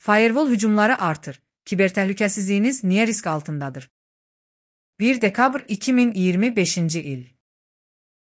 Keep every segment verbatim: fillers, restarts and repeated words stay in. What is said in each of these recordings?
Firewall hücumları artır. Kiber təhlükəsizliyiniz niyə risk altındadır? bir dekabr iki min iyirmi beşinci il.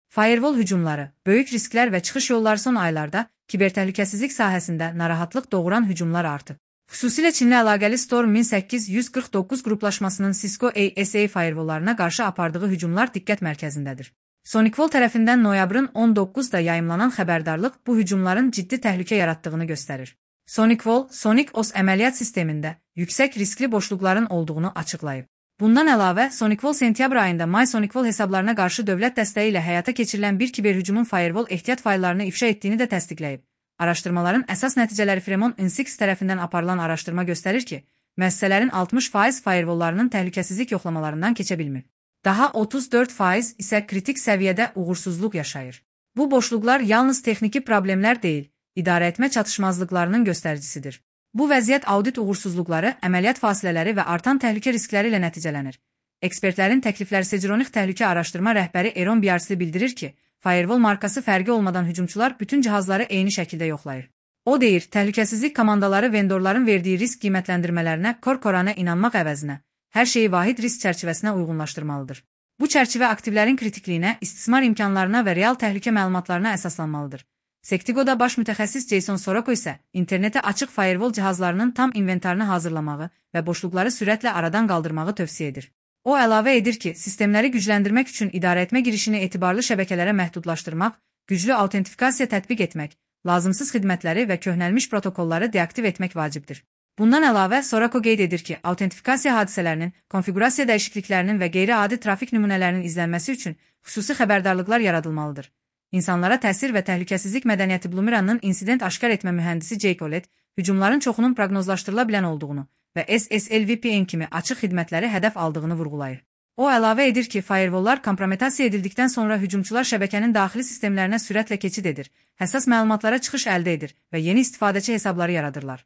Firewall hücumları, böyük risklər və çıxış yolları son aylarda kiber təhlükəsizlik sahəsində narahatlıq doğuran hücumlar artıb. Xüsusilə Çinlə əlaqəli Storm min səkkiz yüz qırx doqquz qruplaşmasının Cisco A S A firewalllarına qarşı apardığı hücumlar diqqət mərkəzindədir. SonicWall tərəfindən noyabrın on doqquzunda yayımlanan xəbərdarlıq bu hücumların ciddi təhlükə yaratdığını göstərir. SonicWall, Sonic O S əməliyyat sistemində yüksək riskli boşluqların olduğunu açıqlayıb. Bundan əlavə, SonicWall sentyabr ayında My SonicWall hesablarına qarşı dövlət dəstəyi ilə həyata keçirilən bir kiber hücumun firewall ehtiyat fayllarını ifşa etdiyini də təsdiqləyib. Araşdırmaların əsas nəticələri Fremont Insights tərəfindən aparılan araşdırma göstərir ki, müəssisələrin altmış faiz firewalllarının təhlükəsizlik yoxlamalarından keçə bilmir. Daha otuz dörd faiz isə kritik səviyyədə uğursuzluq yaşayır. Bu boşluqlar yalnız texniki problemlər deyil, idarəetmə çatışmazlıqlarının göstəricisidir. Bu vəziyyət audit uğursuzluqları, əməliyyat fasilələri və artan təhlükə riskləri ilə nəticələnir. Ekspertlərin təklifləri Segeronik təhlükə araşdırma rəhbəri Eron Biarsli bildirir ki, Firewall markası fərqi olmadan hücumçular bütün cihazları eyni şəkildə yoxlayır. O deyir, təhlükəsizlik komandaları vendorların verdiyi risk qiymətləndirmələrinə kor-korana inanmaq əvəzinə, hər şeyi vahid risk çərçivəsinə uyğunlaşdırmalıdır. Bu çərçivə aktivlərin kritikliyinə, istismar imkanlarına və real təhlükə məlumatlarına əsaslanmalıdır. Sectigo'da baş mütəxəssis Jason Soroko isə internetə açıq firewall cihazlarının tam inventarını hazırlamağı və boşluqları sürətlə aradan qaldırmağı tövsiyə edir. O əlavə edir ki, sistemləri gücləndirmək üçün idarəetmə girişini etibarlı şəbəkələrə məhdudlaşdırmaq, güclü autentifikasiya tətbiq etmək, lazımsız xidmətləri və köhnəlmiş protokolları deaktiv etmək vacibdir. Bundan əlavə, Soroko qeyd edir ki, autentifikasiya hadisələrinin, konfigurasiya dəyişikliklərinin və qeyri-adi trafik nümunələrinin izlənməsi üçün xüsusi xəbərdarlıqlar yaradılmalıdır. İnsanlara təsir və təhlükəsizlik mədəniyyəti Blumiranın insident aşkar etmə mühəndisi Jake Olet, hücumların çoxunun proqnozlaşdırıla bilən olduğunu və S S L V P N kimi açıq xidmətləri hədəf aldığını vurğulayır. O əlavə edir ki, firewalllar kompromitasiya edildikdən sonra hücumçular şəbəkənin daxili sistemlərinə sürətlə keçid edir, həssas məlumatlara çıxış əldə edir və yeni istifadəçi hesabları yaradırlar.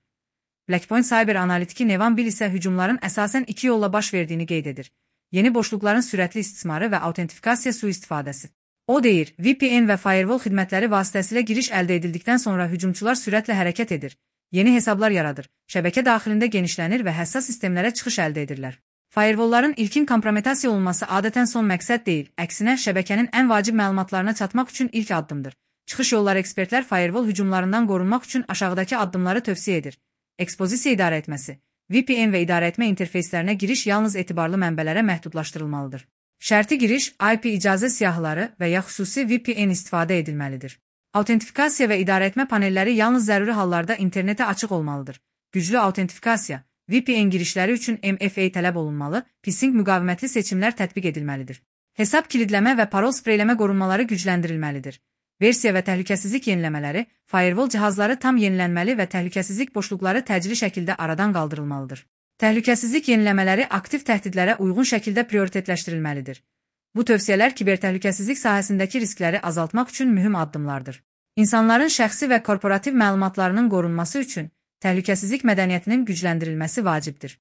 Blackpoint Cyber analitiki Nevan Bill isə hücumların əsasən iki yolla baş verdiyini qeyd edir. Yeni boşluqların sürətli istismarı və autentifikasiya sui-istifadəsi. O deyir, V P N və firewall xidmətləri vasitəsilə giriş əldə edildikdən sonra hücumçular sürətlə hərəkət edir, yeni hesablar yaradır, şəbəkə daxilində genişlənir və həssas sistemlərə çıxış əldə edirlər. Firewallların ilkin kompromitasiya olması adətən son məqsəd deyil, əksinə şəbəkənin ən vacib məlumatlarına çatmaq üçün ilk addımdır. Çıxış yolları ekspertlər firewall hücumlarından qorunmaq üçün aşağıdakı addımları tövsiyə edir. Ekspozisiya idarəetməsi. V P N və idarəetmə interfeyslərinə giriş yalnız etibarlı mənbələrə məhdudlaşdırılmalıdır. Şərti giriş, I P icazə siyahıları və ya xüsusi V P N istifadə edilməlidir. Autentifikasiya və idarəetmə panelləri yalnız zəruri hallarda internetə açıq olmalıdır. Güclü autentifikasiya, V P N girişləri üçün M F A tələb olunmalı, phishing müqavimətli seçimlər tətbiq edilməlidir. Hesab kilidləmə və parol spreyləmə qorunmaları gücləndirilməlidir. Versiya və təhlükəsizlik yeniləmələri, firewall cihazları tam yenilənməli və təhlükəsizlik boşluqları təcili şəkildə aradan qaldırılmalıdır. Təhlükəsizlik yeniləmələri aktiv təhdidlərə uyğun şəkildə prioritetləşdirilməlidir. Bu tövsiyələr kiber təhlükəsizlik sahəsindəki riskləri azaltmaq üçün mühüm addımlardır. İnsanların şəxsi və korporativ məlumatlarının qorunması üçün təhlükəsizlik mədəniyyətinin gücləndirilməsi vacibdir.